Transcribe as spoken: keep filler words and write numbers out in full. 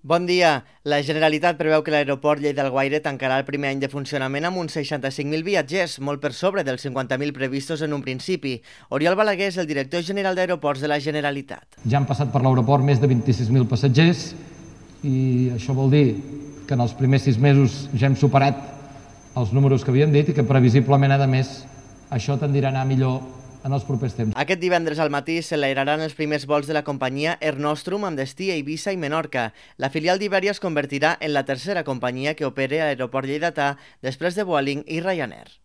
Bon dia. La Generalitat preveu que l'aeroport Lleida-Alguaire tancarà el primer any de funcionament amb uns seixanta-cinc mil viatgers, molt per sobre dels cinquanta mil previstos en un principi. Oriol Balaguer és el director general d'Aeroports de la Generalitat. Ja han passat per l'aeroport més de vint-i-sis mil passatgers i això vol dir que en els primers sis mesos ja hem superat els números que havíem dit i que previsiblement, a més, això tendirà a anar millor en els propers temps. Aquest divendres al matí s'enlairaran els primers vols de la companyia Air Nostrum amb destí a Eivissa i Menorca. La filial d'Iberia es convertirà en la tercera companyia que opere a l'aeroport lleidatà després de Vueling i Ryanair.